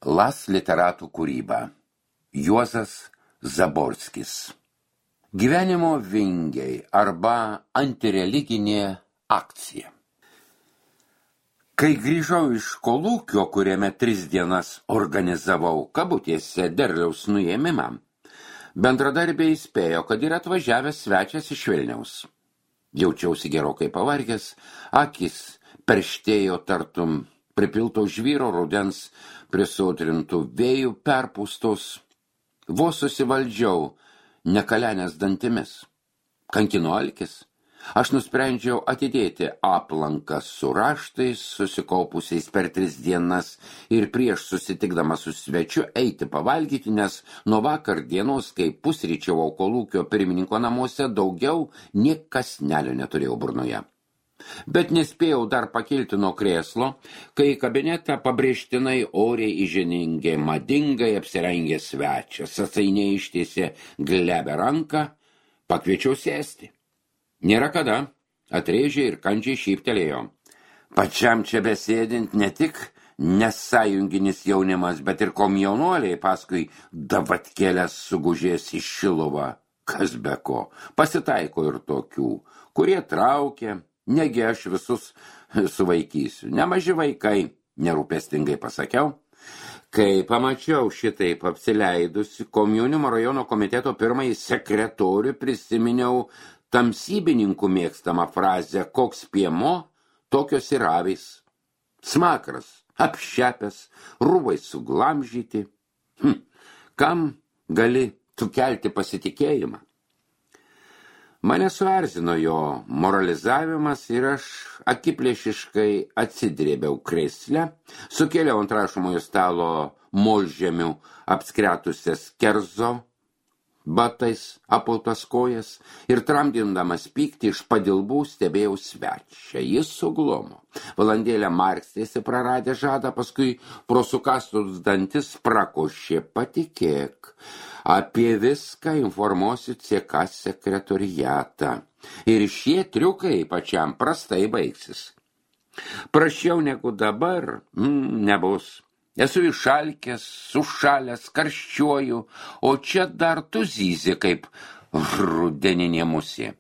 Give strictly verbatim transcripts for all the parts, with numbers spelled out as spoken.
Las literatų kūryba. Juozas Zaborskis. Gyvenimo vingiai arba antireliginė akcija. Kai grįžau iš kolūkio, kuriame tris dienas organizavau kabutėse derliaus nuėmimą, bendradarbiai įspėjo, kad yra atvažiavęs svečias iš Vilniaus. Jaučiausi gerokai pavargęs, akis perštėjo tartum pripilto žvyro rudens prisodrintų vėjų perpūstos. Vos susivaldžiau nekalenės dantimis. Kankino alkis. Aš nusprendžiau atidėti aplanką su raštais, susikaupusiais per tris dienas ir prieš susitikdamas su svečiu eiti pavalgyti, nes nuo vakar dienos, kai pusryčiavau kolūkio pirmininko namuose, daugiau nė kąsnelio neturėjau burnoje. Bet nespėjau dar pakilti nuo krėslo, kai į kabinetą pabrėžtinai oriai įženingė madingai apsirengė svečias, atsainiai ištiesė glebę ranką, pakviečiau sėsti. Nėra kada, atrėžė ir kandžiai šyptelėjo. Pačiam čia besėdint ne tik nesąjunginis jaunimas, bet ir komjaunuoliai paskui davatkėlės sugužės į Šiluvą. Kas be ko, pasitaiko ir tokių, kurie traukia. Negi aš visus suvaikysiu. Nemaži vaikai, nerūpestingai pasakiau. Kai pamačiau šitaip apsileidusi komjaunimo rajono komiteto pirmąjį sekretorių, prisiminiau tamsybininkų mėgstamą frazę, koks piemo, tokios ir avys. Smakras, apšepęs, rūbai suglamžyti. Hm, kam gali sukelti pasitikėjimą? Mane suerzino jo moralizavimas ir aš akiplėšiškai atsidrėbiau krėsle, sukėliau ant rašomojo stalo molžemių apskretusias kerzo batais apautas kojas ir tramdindamas pyktį iš padilbų stebėjau svečią. Jis suglomo. Valandėlę markstėsi praradę žadą, paskui pro sukastus dantis prakošė. Patikėk, apie viską informuosiu C K sekretoriatą. Ir šie triukai pačiam prastai baigsis. Prašiau negu dabar, mm, nebus. Esu išalkęs, sušalęs, karščiuoju, o čia dar tu zyzi kaip rudeninė musė.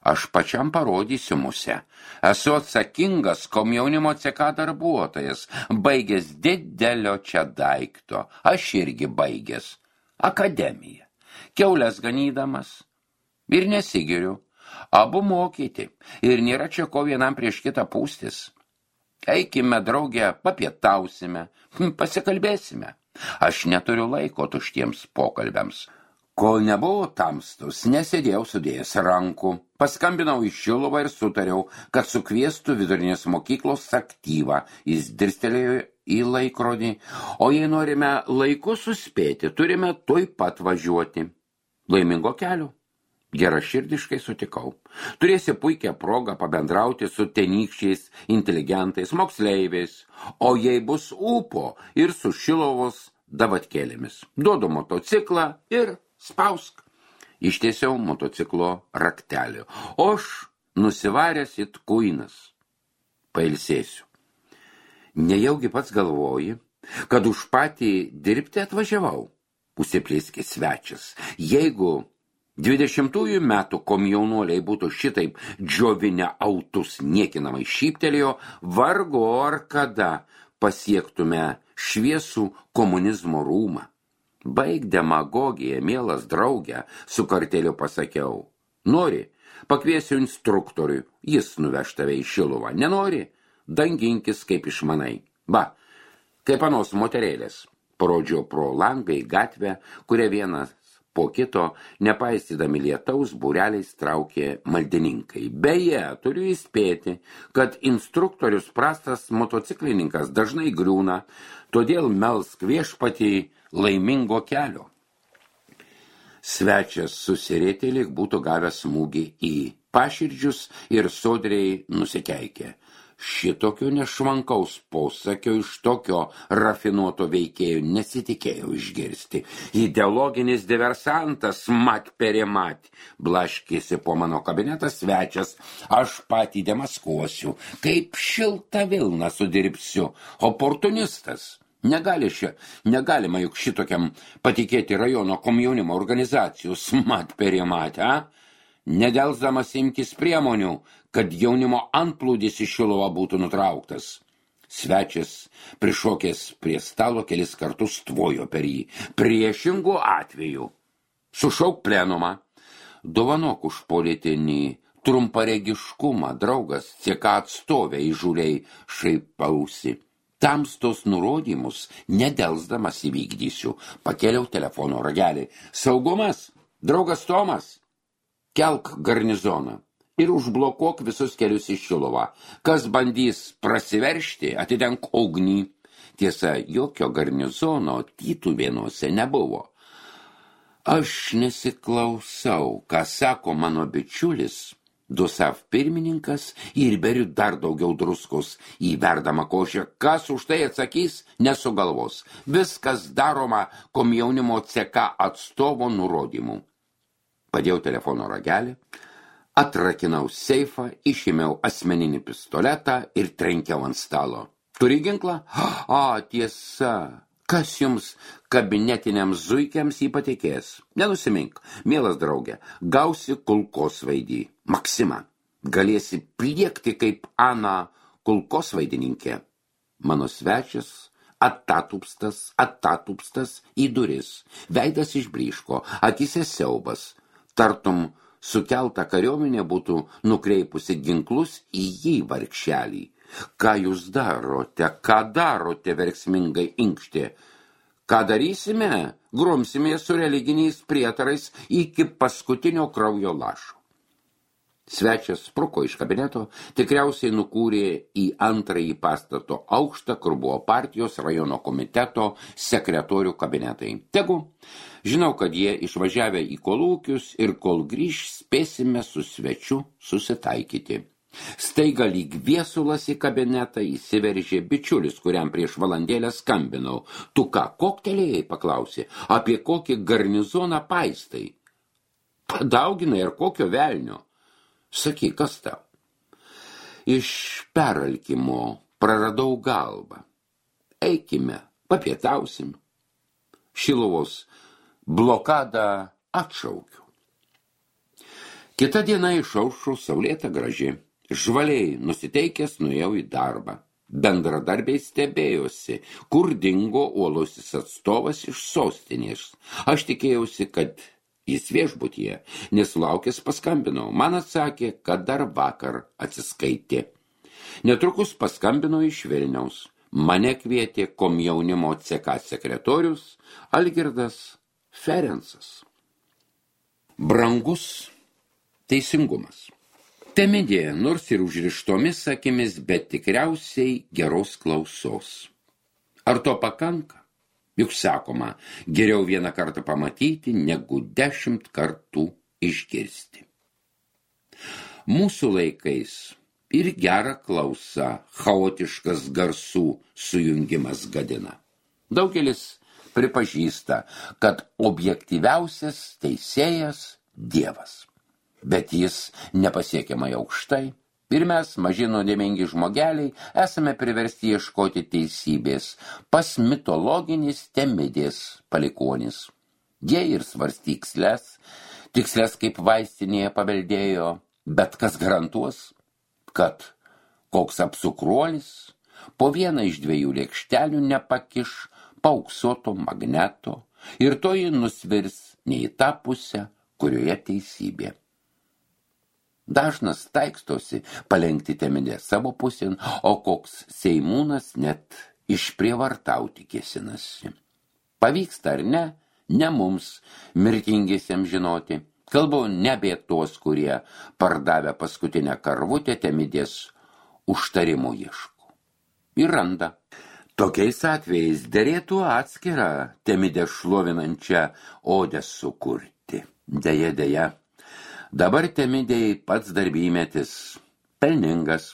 Aš pačiam parodysiu musę. Esu atsakingas komjaunimo C K darbuotojas, baigęs didelio čia daikto. Aš irgi baigęs akademiją, kiaulės ganydamas ir nesigiriu. Abu mokyti ir nėra čia ko vienam prieš kitą pūstis. Eikime, draugė, papietausime, pasikalbėsime. Aš neturiu laiko tuštiems pokalbiams. Kol nebuvo tamstus, nesėdėjau sudėjęs rankų. Paskambinau į Šiluvą ir sutariau, kad sukviestų vidurinės mokyklos aktyvą. Jis dirstelėjo į laikrodį. O jei norime laiku suspėti, turime tuoj pat važiuoti. Laimingo kelio. Geraširdiškai sutikau. Turėsi puikią progą pabendrauti su tenykščiais inteligentais, moksleiviais, o jei bus ūpo ir su Šiluvos davatkėlėmis. Duodu motociklą ir spausk. Ištiesiau motociklo raktelį. O aš nusivaręs it kuinas. Pailsėsiu. Nejaugi pats galvoji, kad už patį dirbti atvažiavau. Užsiplėskė svečias. Jeigu dvidešimtųjų metų komjaunuoliai būtų šitaip džiovinę autus niekinamai šyptelėjo, vargu ar kada pasiektume šviesų komunizmo rūmą. Baig demagogiją, mielas draugė, su karteliu pasakiau. Nori, pakviesiu instruktoriui, jis nuveš tave į Šiluvą. Nenori, danginkis kaip išmanai. Ba, kaip anos moterėlės. Parodžiau pro langą į gatvę, kurią vienas po kito, nepaisydami lietaus, būreliais traukė maldininkai. Beje, turiu įspėti, kad instruktorius prastas motociklininkas dažnai griūna, todėl melsk viešpatį laimingo kelio. Svečias susirėtė, lyg būtų gavęs smūgį į paširdžius ir sodriai nusikeikė. Šitokio nešvankaus posakio iš tokio rafinuoto veikėjo nesitikėjau išgirsti. Ideologinis diversantas, mat perė mat, blaškėsi po mano kabinetą svečias, aš patį demaskuosiu, kaip šiltą vilną sudirbsiu, oportunistas. Negali šia, negalima juk šitokiam patikėti rajono komjaunimo organizacijos mat perimatę, a? Nedelsdamas imkis priemonių, kad jaunimo antplūdis iš Šiluvą būtų nutrauktas. Svečias, prišokęs prie stalo, kelis kartus tvojo per jį. Priešingų atveju. Sušauk plenumą. Dovanok už politinį trumparegiškumą, draugas, cieka atstovė įžūliai šaipausi. Tamstos nurodymus nedelsdamas įvykdysiu. Pakėliau telefono ragelį. Saugumas, draugas Tomas, kelk garnizoną ir užblokuok visus kelius į Šiluvą. Kas bandys prasiveršti, atidenk ugnį. Tiesa, jokio garnizono Tytuvėnuose nebuvo. Aš nesiklausau, ką sako mano bičiulis, Dusav pirmininkas, ir beriu dar daugiau druskos į verdamą košę. Kas už tai atsakys, nesugalvos. Viskas daroma komjaunimo C K atstovo nurodymų. Padėjau telefono ragelį, atrakinau seifą, išėmiau asmeninį pistoletą ir trenkiau ant stalo. Turi ginklą? A, tiesa. Kas jums kabinetiniams zuikiams jį patikės? Nenusimink, mielas draugė, gausi kulkosvaidį. Maksima, galėsi pliekti kaip Ana kulkosvaidininkė. Mano svečias atatupstas, atatupstas į duris. Veidas išbryško, akise siaubas. Tartum sukelta kariuomenė būtų nukreipusi ginklus į jį vargšelį. Ką jūs darote, ką darote, verksmingai inkštė? Ką darysime? Grumsime su religiniais prietarais iki paskutinio kraujo lašo. Svečias spruko iš kabineto, tikriausiai nukūrė į antrąjį pastato aukštą, kur buvo partijos rajono komiteto sekretorių kabinetai. Tegu, žinau, kad jie išvažiavę į kolūkius ir kol grįž spėsime su svečiu susitaikyti. Staiga lyg viesulas į kabinetą įsiveržė bičiulis, kuriam prieš valandėlę skambinau. Tu ką, koktelėjai, paklausė, apie kokį garnizoną paistai? Padauginai ir kokio velnio? Sakyk, kas tau? Iš peralkimo praradau galvą. Eikime, papietausim. Šiluvos blokadą atšaukiu. Kita diena išaušo saulėta graži. Žvaliai nusiteikęs nuėjau į darbą. Bendradarbiai stebėjosi, kur dingo uolusis atstovas iš sostinės. Aš tikėjausi, kad jis viešbutyje, nesulaukęs paskambinau. Man atsakė, kad dar vakar atsiskaitė. Netrukus paskambino iš Vilniaus. Mane kvietė komjaunimo C K sekretorius Algirdas Ferencas. Brangus teisingumas. Temidė, nors ir užrištomis akimis, bet tikriausiai geros klausos. Ar to pakanka? Juk sakoma, geriau vieną kartą pamatyti, negu dešimt kartų išgirsti. Mūsų laikais ir gera klausa, chaotiškas garsų sujungimas gadina. Daugelis pripažįsta, kad objektyviausias teisėjas Dievas. Bet jis nepasiekiamai aukštai ir mes, maži nuodėmingi žmogeliai, esame priversti ieškoti teisybės pas mitologinis Temidės palikuonis. Jie ir svarstyksles, tiksles kaip vaistinėje paveldėjo, bet kas garantuos, kad koks apsukruolis po vieną iš dviejų lėkštelių nepakiš paauksuoto magneto ir toji nusvirs ne į tą pusę, kurioje teisybė. Dažnas taikstosi palenkti Temidę savo pusėn, o koks seimūnas net išprievartauti kėsinasi. Pavyksta ar ne, ne mums, mirtingiesiems žinoti. Kalbu ne apie tuos, kurie pardavę paskutinę karvutę Temidės užtarimo ieško. Ir randa. Tokiais atvejais derėtų atskirą Temidę šlovinančią odę sukurti. Deja, deja. Dabar Temidėjai pats darbymetis, pelningas.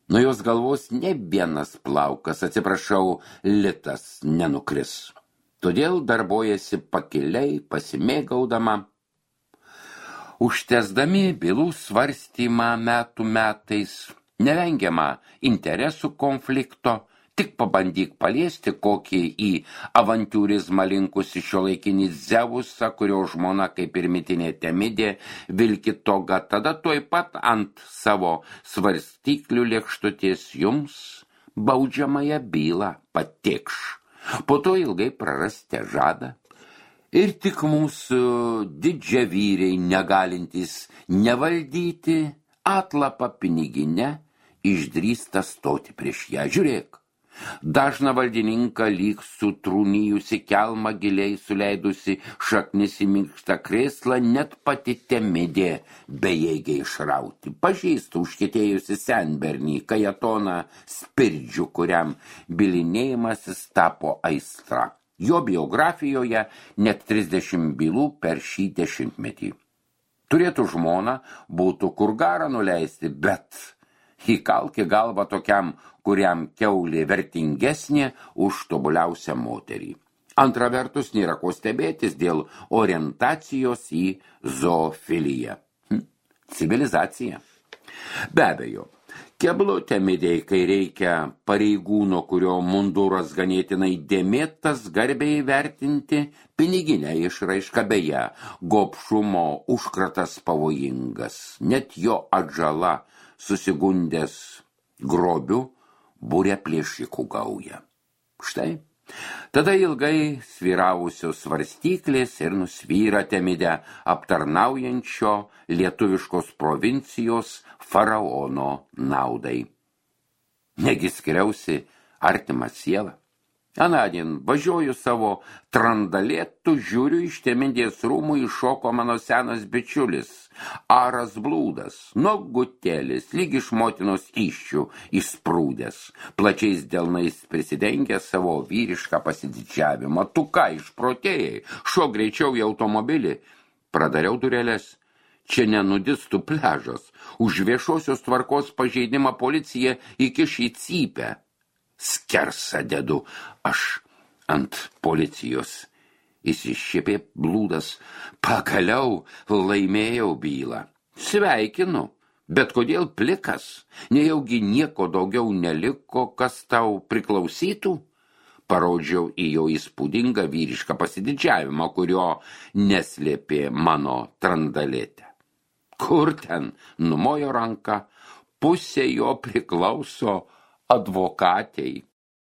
Nuo jos galvos ne vienas plaukas, atsiprašau, litas nenukris. Todėl darbojasi pakiliai, pasimėgaudama. Užtesdami bylų svarstymą metų metais, nevengiama interesų konflikto, Tik pabandyk paliesti kokį į avantūrizmą linkusi šiuolaikinį Zeusą, kurio žmona kaip ir mitinė Temidė vilki toga, tada tuoj pat ant savo svarstyklių lėkštutės jums baudžiamąją bylą patikš. Po to ilgai prarasite žadą. Ir tik mūsų didžiavyriai negalintys nevaldyti atlapą piniginę išdrįsta stoti prieš ją. Žiūrėk, dažną valdininką lyg sutrūnijusi kelmą giliai suleidusi šaknis į minkštą krėslą, net pati Temidė bejėgiai išrauti. Pažįsta užkietėjusi senbernį Kajatoną Spirdžių, kuriam bylinėjimasis tapo aistra. Jo biografijoje net trisdešimt bylų per šį dešimtmetį. Turėtų žmona, būtų kur garą nuleisti, bet įkalki galvą tokiam, kuriam kiaulė vertingesnė už tobuliausią moterį. Antra vertus, nėra ko stebėtis dėl orientacijos į zoofiliją. Hm, civilizacija. Be abejo, keblu Temidei, kai reikia pareigūno, kurio munduras ganėtinai dėmėtas, garbiai vertinti piniginę išraišką, beje, gobšumo užkratas pavojingas, net jo atžala susigundęs grobių būrė plėšikų gauja. Štai, tada ilgai sviravusios svarstyklės ir nusvyra Temidę aptarnaujančio lietuviškos provincijos faraono naudai. Negi skriausi artimą sielą. Anadien važiuoju savo trandalėtų, žiūriu iš Temidės rūmų iššoko mano senas bičiulis, Aras Blūdas, nuogutėlis, lyg iš motinos įsčių įsprūdęs, plačiais delnais prisidengęs savo vyrišką pasididžiavimą. Tu ką, išprotėjai, šok greičiau į automobilį. Pradariau dureles. Čia nenudistų pliažas. Už viešosios tvarkos pažeidimą policija įkiš į cypę. Skersa dedu aš ant policijos. Įsišiepė Blūdas. Pagaliau laimėjau bylą. Sveikinu, bet kodėl plikas? Nejaugi nieko daugiau neliko, kas tau priklausytų? Parodžiau į jo įspūdingą vyrišką pasididžiavimą, kurio neslėpė mano trandalėtė. Kur ten? Numojo ranką. Pusė jo priklauso advokatei.